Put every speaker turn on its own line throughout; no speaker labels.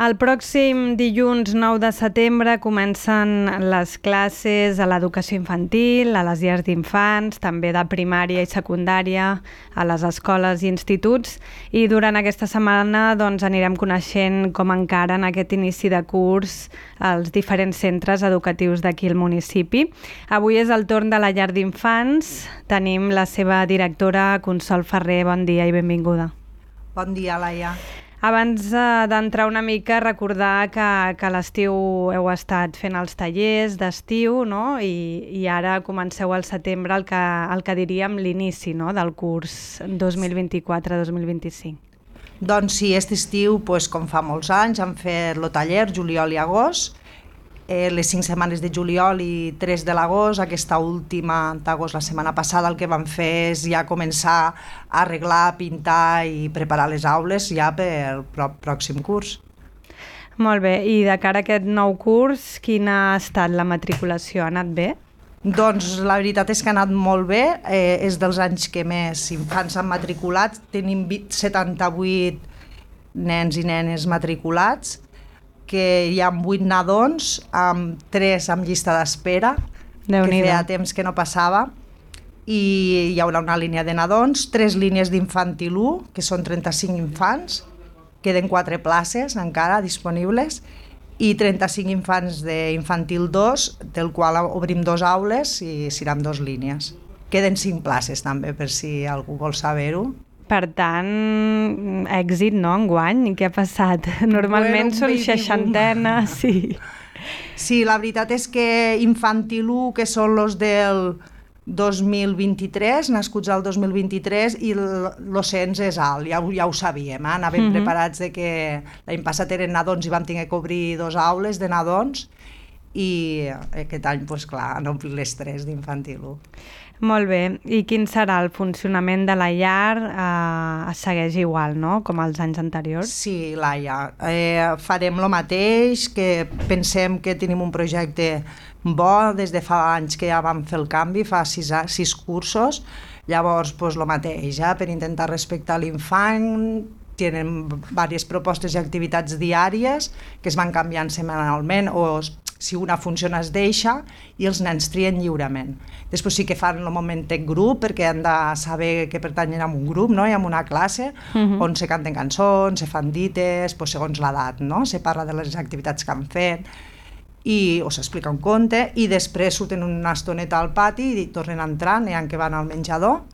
El pròxim dilluns 9 de setembre comencen les classes a l'educació infantil, a les llars d'infants, també de primària i secundària, a les escoles i instituts, i durant aquesta setmana anirem coneixent com encara en aquest inici de curs els diferents centres educatius d'aquí al municipi. Avui és el torn de la llar d'infants. Tenim la seva directora, Consol Ferrer. Bon dia i benvinguda.
Bon dia, Laia.
Abans d'entrar una mica, recordar que a l'estiu heu estat fent els tallers d'estiu, no? I ara comenceu al setembre el que diríem l'inici, no? Del curs 2024-2025.
Doncs sí, aquest estiu, com fa molts anys, hem fet el taller juliol i agost. Les 5 setmanes de juliol i 3 de l'agost, aquesta última d'agost, la setmana passada, el que vam fer és ja començar a arreglar, pintar i preparar les aules ja pel pròxim curs.
Molt bé, i de cara a aquest nou curs, quina ha estat la matriculació? Ha anat bé?
Doncs la veritat és que ha anat molt bé, és dels anys que més infants han matriculat, tenim 78 nens i nenes matriculats, que hi ha 8 nadons, amb 3 amb llista d'espera, que feia temps que no passava, i hi haurà una línia de nadons, 3 línies d'infantil 1, que són 35 infants, queden 4 places encara disponibles, i 35 infants d'infantil 2, del qual obrim 2 aules i seran 2 línies. Queden 5 places també, per si algú vol saber-ho.
Per tant, èxit, no, enguany? Què ha passat? Normalment són 60, sí.
Sí, la veritat és que infantil 1, que són els del 2023, nascuts al 2023, i l'ocens és alt, ja ho sabíem, anàvem preparats de que l'any passat eren nadons i vam tenir que obrir 2 aules de nadons, i aquest any, clar, han omplit les 3 d'infantil 1.
Molt bé. I quin serà el funcionament de la llar? Segueix igual, no?, com els anys anteriors?
Sí, Laia. Farem el mateix, que pensem que tenim un projecte bo, des de fa anys que ja vam fer el canvi, fa 6 cursos, llavors el mateix, per intentar respectar l'infant. Tenen diverses propostes i activitats diàries que es van canviant setmanalment, o si una funciona es deixa i els nens trien lliurement. Després sí que fan el moment en grup, perquè han de saber que pertanyen a un grup, no? I a una classe on se canten cançons, se fan dites, segons l'edat, no? Se parla de les activitats que han fet, o s'explica un conte, i després surten una estoneta al pati i tornen a entrar, n'hi ha que van al menjador,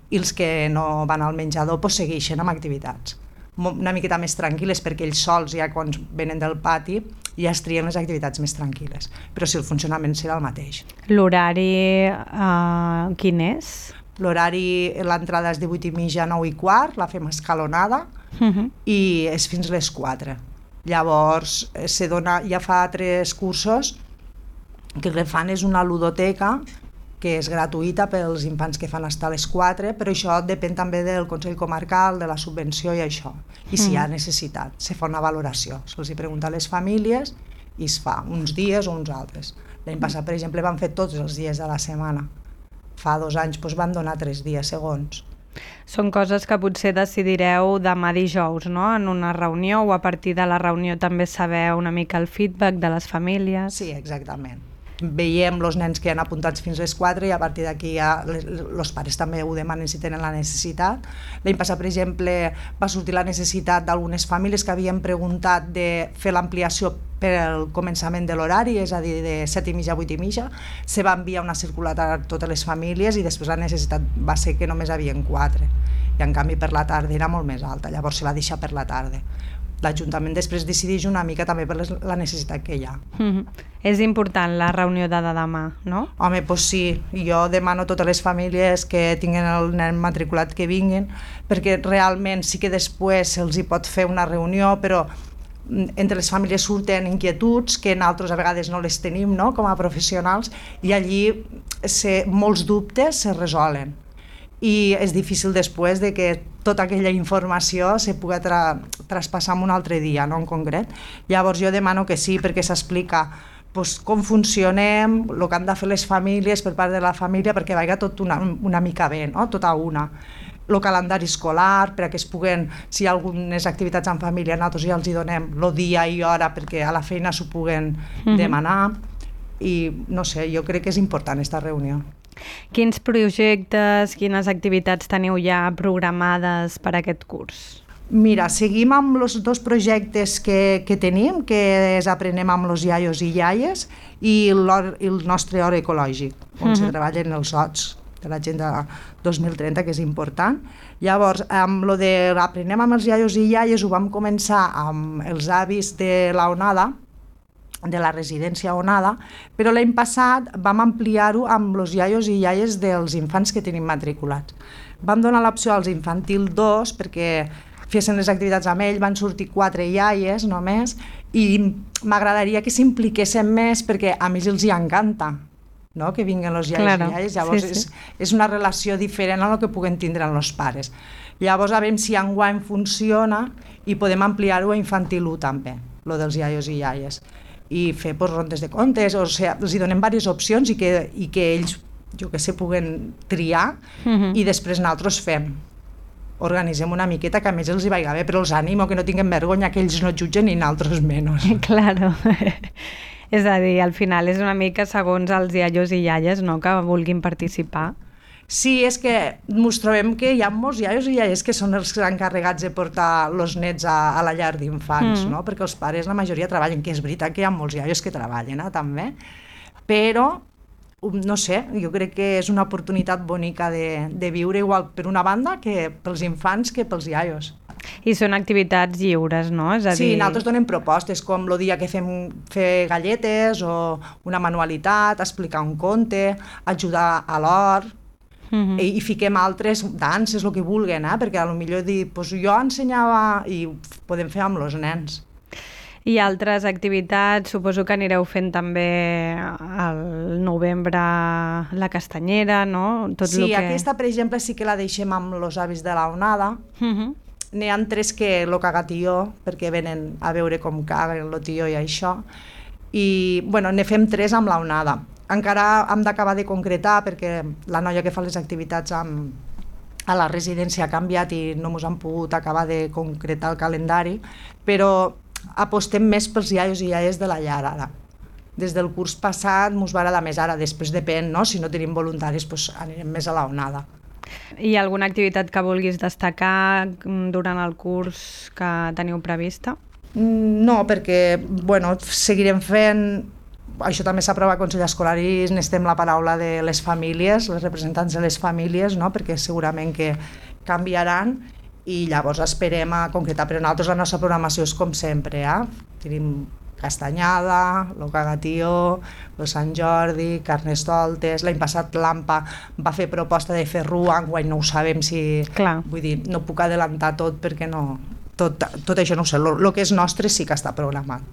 i els que no van al menjador segueixen amb activitats una miqueta més tranquil·les, perquè ells sols, ja quan venen del pati, ja es trien les activitats més tranquil·les. Però sí, el funcionament serà el mateix.
L'horari quin és?
L'horari, l'entrada és de 8:30 a 9:15, la fem escalonada, i és fins les 4. Llavors, ja fa 3 cursos que el que fan és una ludoteca, que és gratuïta pels infants que fan estar a les 4, però això depèn també del Consell Comarcal, de la subvenció i això. I si hi ha necessitat, se fa una valoració. Se'ls pregunta a les famílies i es fa uns dies o uns altres. L'any passat, per exemple, van fer tots els dies de la setmana. Fa 2 anys van donar 3 dies segons.
Són coses que potser decidireu demà dijous, no?, en una reunió, o a partir de la reunió també sabeu una mica el feedback de les famílies.
Sí, exactament. Veiem els nens que han apuntats fins a les 4 i a partir d'aquí ja els pares també ho demanen si tenen la necessitat. L'any passat, per exemple, va sortir la necessitat d'algunes famílies que havien preguntat de fer l'ampliació per al començament de l'horari, és a dir, de 7:30 a 8:30. Se va enviar una circular a totes les famílies i després la necessitat va ser que només havien 4. I en canvi per la tarda era molt més alta, llavors se va deixar per la tarda. L'Ajuntament després decideix una mica també per la necessitat que hi ha.
És important la reunió de demà, no?
Home, doncs sí. Jo demano a totes les famílies que tinguin el nen matriculat que vinguin, perquè realment sí que després se'ls hi pot fer una reunió, però entre les famílies surten inquietuds que nosaltres a vegades no les tenim, no?, com a professionals, i allí molts dubtes se resolen. I és difícil després de que tota aquella informació se pugui traspassar en un altre dia, no en concret. Llavors jo demano que sí, perquè s'explica com funcionem, el que han de fer les famílies per part de la família, perquè vagi tot una mica bé, no? Tot a una. el calendari escolar, perquè es puguen, si hi ha algunes activitats en família, nosaltres ja els hi donem el dia i hora perquè a la feina s'ho puguen demanar, i no sé, jo crec que és important aquesta reunió.
Quins projectes, quines activitats teniu ja programades per aquest curs?
Mira, seguim amb els dos projectes que tenim, que és Aprenem amb els iaios i iaies i el nostre hort ecològic, on se treballen els horts de l'Agenda 2030, que és important. Llavors, amb lo de Aprenem amb els iaios i iaies ho vam començar amb els avis de la Onada, de la residència Onada, però l'any passat vam ampliar-ho amb els iaios i iaies dels infants que tenim matriculats. Vam donar l'opció als infantil 2 perquè fessin les activitats amb ell, van sortir 4 iaies només, i m'agradaria que s'impliquessin més perquè a més els hi encanta, no? Que vinguen els iaios i iaies, llavors és una relació diferent a la que puguen tindre amb els pares. Llavors a veure si enguany funciona i podem ampliar-ho a infantil 1 també, lo dels iaios i iaies, i fer rondes de contes, o sigui, els hi donem diverses opcions i que ells, jo que sé, puguen triar i després nosaltres fem. Organitzem una miqueta que a més els hi vaiga bé, però els animo que no tinguin vergonya, que ells no jutgen i nosaltres menys.
Claro. És a dir, al final és una mica segons els iaios i iaies, no?, que vulguin participar.
Sí, és que ens trobem que hi ha molts iaios i iaies que són els encarregats de portar els nets a la llar d'infants, no? Perquè els pares, la majoria, treballen, que és veritat que hi ha molts iaios que treballen, també, però no sé, jo crec que és una oportunitat bonica de viure igual per una banda que pels infants que pels iaios.
I són activitats lliures, no? És a dir...
Sí, nosaltres donem propostes, com el dia que fem fer galletes o una manualitat, explicar un conte, ajudar a l'hort, i fiquem altres danses, el que vulguin, perquè potser dir, doncs jo ensenyava i ho podem fer amb els nens.
I altres activitats, suposo que anireu fent també al novembre la castanyera, no?
Sí, aquesta, per exemple, sí que la deixem amb els avis de la Onada. N'hi ha 3 que el cagatió, perquè venen a veure com caguen el tió i això. I, bueno, ne fem 3 amb la Onada. Encara hem d'acabar de concretar, perquè la noia que fa les activitats a la residència ha canviat i no ens han pogut acabar de concretar el calendari, però apostem més pels iaios i iaies de la llar ara. Des del curs passat ens va agradar més, ara després depèn, no? Si no tenim voluntaris doncs anirem més a la Onada.
Hi ha alguna activitat que vulguis destacar durant el curs que teniu prevista?
No, perquè seguirem fent, això també s'aprova al Consell Escolar i necessitem la paraula de les famílies, les representants de les famílies, no? Perquè segurament que canviaran i llavors esperem a concretar, però nosaltres la nostra programació és com sempre, tenim castanyada, el cagatió, el Sant Jordi, carnestoltes. L'any passat l'AMPA va fer proposta de fer rua, enguany no ho sabem si...
Clar.
Vull dir, no puc adelantar tot perquè no... Tot això no ho sé, el que és nostre sí que està programat.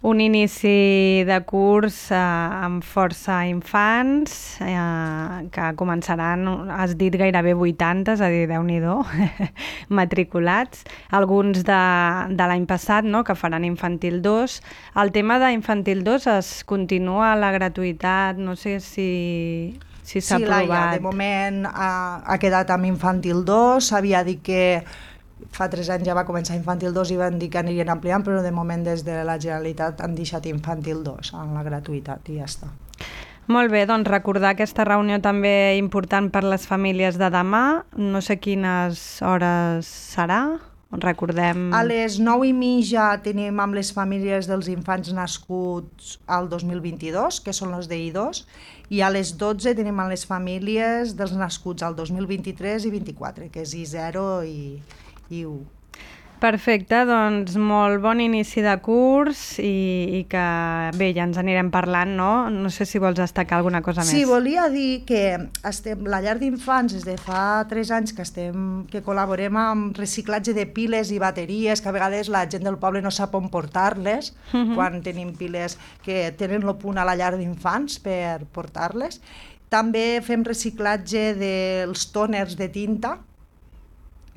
Un inici de curs amb força infants que començaran, has dit gairebé 80, és a dir, Déu-n'hi-do, matriculats, alguns de l'any passat, no?, que faran infantil 2. El tema d'infantil 2 es continua la gratuïtat, no sé si s'ha aprovat.
Sí, Laia, de moment ha quedat amb infantil 2, s'havia dit que fa 3 anys ja va començar infantil 2 i van dir que anirien ampliant, però de moment des de la Generalitat han deixat infantil 2 en la gratuïtat i ja està.
Molt bé, doncs recordar aquesta reunió també important per les famílies de demà. No sé quines hores serà, recordem...
A les 9:30 tenim amb les famílies dels infants nascuts al 2022, que són els d'I2, i a les 12 tenim amb les famílies dels nascuts al 2023 i 24, que és I0 i 1.
Perfecte, doncs molt bon inici de curs i que bé, ja ens anirem parlant, no? No sé si vols destacar alguna cosa més.
Sí, volia dir que la llar d'infants des de fa 3 anys que col·laborem amb reciclatge de piles i bateries, que a vegades la gent del poble no sap on portar-les, quan tenim piles que tenen el punt a la llar d'infants per portar-les. També fem reciclatge dels tòners de tinta.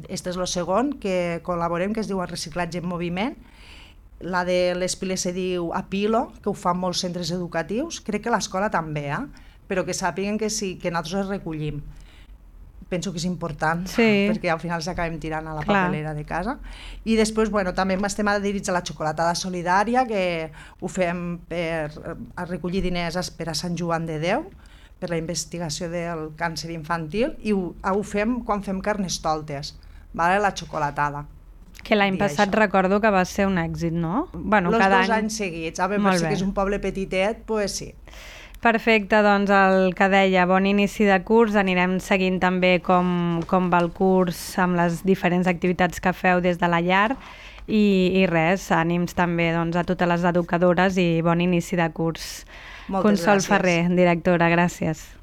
Este és el segon que col·laborem, que es diu Reciclatge en Moviment. La de les piles se diu Apilo, que ho fan molts centres educatius. Crec que l'escola també, però que sàpiguen que sí, que nosaltres els recollim. penso que és important,
Sí.
perquè al final s'acabem tirant a la
Clar.
papelera de casa. I després, bueno, també estem adherits a la xocolatada solidària, que ho fem per a recollir diners per a Sant Joan de Déu, per la investigació del càncer infantil, i ho fem quan fem carnestoltes, vale? La xocolatada.
Que l'any
Dir
passat
això.
recordo que va ser un èxit, no? Bueno,
Els
cada
2
any...
anys seguits. A veure,
Molt
per si
bé.
que és un poble petitet, doncs sí.
Perfecte, doncs el que deia, bon inici de curs, anirem seguint també com va el curs amb les diferents activitats que feu des de la llar i res, ànims també doncs, a totes les educadores i bon inici de curs.
Moltes
Consol
gràcies.
Ferrer, directora, gràcies.